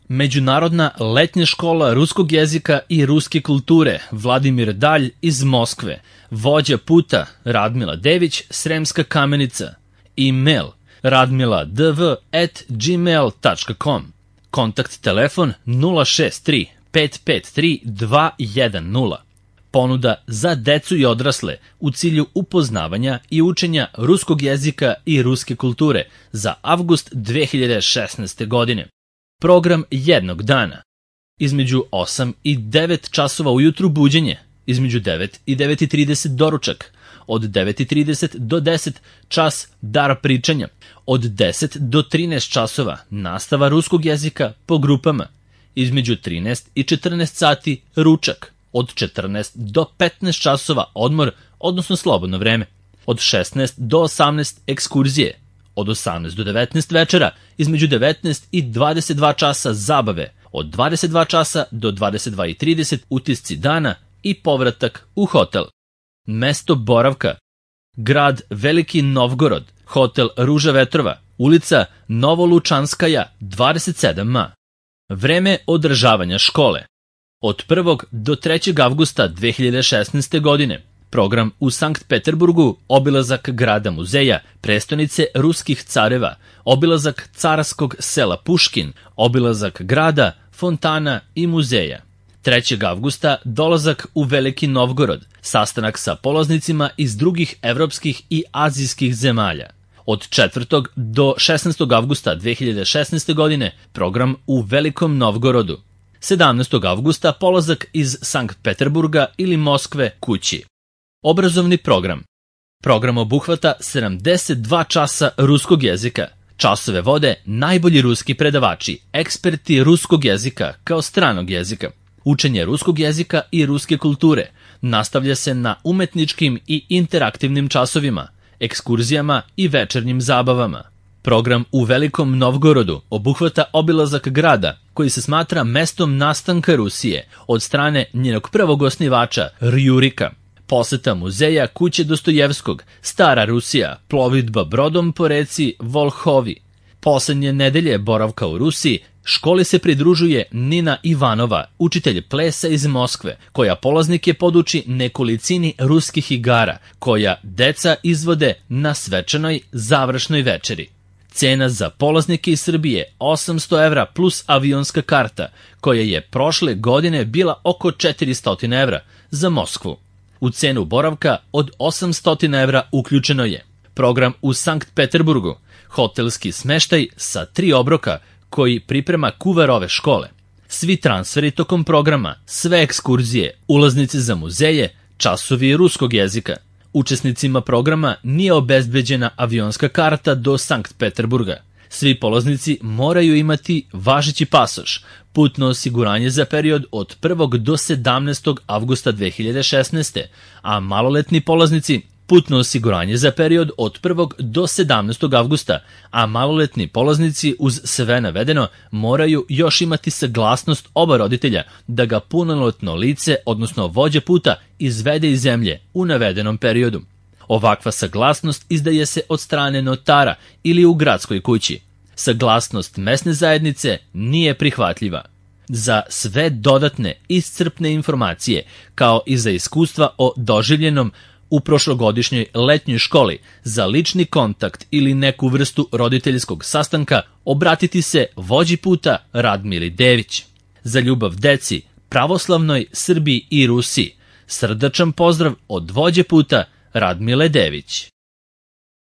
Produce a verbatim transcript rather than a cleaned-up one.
Međunarodna letnja škola ruskog jezika i ruske kulture Vladimir Dalj iz Moskve, vođa puta Radmila Dević, Sremska Kamenica, e-mail radmiladv at gmail tačka com, kontakt telefon nula šest tri pet pet tri dva jedan nula. Ponuda za decu i odrasle u cilju upoznavanja i učenja ruskog jezika i ruske kulture za avgust dve hiljade šesnaeste. godine. Program jednog dana. Između osam i devet časova ujutru buđenje, između devet i devet i trideset doručak, od devet i trideset do deset čas dar pričanja, od deset do trinaest časova nastava ruskog jezika po grupama, između trinaest i četrnaest sati ručak, od četrnaest do petnaest časova odmor, odnosno slobodno vreme, od šesnaest do osamnaest ekskurzije, od osamnaest do devetnaest večera, između devetnaest i dvadeset dva časa zabave, od dvadeset dva časa do dvadeset dva i trideset utisci dana i povratak u hotel. Mesto boravka: grad Veliki Novgorod, hotel Ruža Vetrova, ulica Novolučanskaja dvadeset sedam a. Vreme održavanja škole: od prvog do trećeg avgusta dve hiljade šesnaeste. godine. Program u Sankt Peterburgu: obilazak grada muzeja, prestonice ruskih careva, obilazak carskog sela Puškin, obilazak grada, fontana i muzeja. trećeg avgusta dolazak u Veliki Novgorod, sastanak sa polaznicima iz drugih evropskih i azijskih zemalja. Od četvrtog do šesnaestog avgusta dve hiljade šesnaeste. godine program u Velikom Novgorodu. sedamnaestog avgusta polazak iz Sankt Peterburga ili Moskve kući. Obrazovni program. Program obuhvata sedamdeset dva časa ruskog jezika. Časove vode najbolji ruski predavači, eksperti ruskog jezika kao stranog jezika. Učenje ruskog jezika i ruske kulture nastavlja se na umetničkim i interaktivnim časovima, ekskurzijama i večernjim zabavama. Program u Velikom Novgorodu obuhvata obilazak grada, koji se smatra mestom nastanka Rusije od strane njenog prvog osnivača Rjurika. Poseta muzeja kuće Dostojevskog, Stara Rusija, plovidba brodom po reci Volhovi. Poslednje nedelje boravka u Rusiji školi se pridružuje Nina Ivanova, učitelj plesa iz Moskve, koja polaznike poduči nekolicini ruskih igara, koja deca izvode na svečanoj završnoj večeri. Cena za polaznike iz Srbije osamsto evra plus avionska karta, koja je prošle godine bila oko četiristo evra za Moskvu. U cenu boravka od osamsto evra uključeno je program u Sankt Peterburgu, hotelski smeštaj sa tri obroka koji priprema kuvar ove škole, svi transferi tokom programa, sve ekskurzije, ulaznice za muzeje, časovi ruskog jezika. Učesnicima programa nije obezbeđena avionska karta do Sankt Peterburga. Svi polaznici moraju imati važeći pasoš, putno osiguranje za period od prvog do sedamnaestog avgusta dve hiljade šesnaeste. a maloletni polaznici putno osiguranje za period od prvog do sedamnaestog avgusta, a maloletni polaznici uz sve navedeno moraju još imati saglasnost oba roditelja da ga punoletno lice, odnosno vođa puta, izvede iz zemlje u navedenom periodu. Ovakva saglasnost izdaje se od strane notara ili u gradskoj kući. Saglasnost mesne zajednice nije prihvatljiva. Za sve dodatne iscrpne informacije, kao i za iskustva o doživljenom u prošlogodišnjoj letnjoj školi, za lični kontakt ili neku vrstu roditeljskog sastanka, obratiti se vođi puta Radmili Dević. Za ljubav deci, pravoslavnoj Srbiji i Rusiji, srdačan pozdrav od vođe puta Radmile Dević.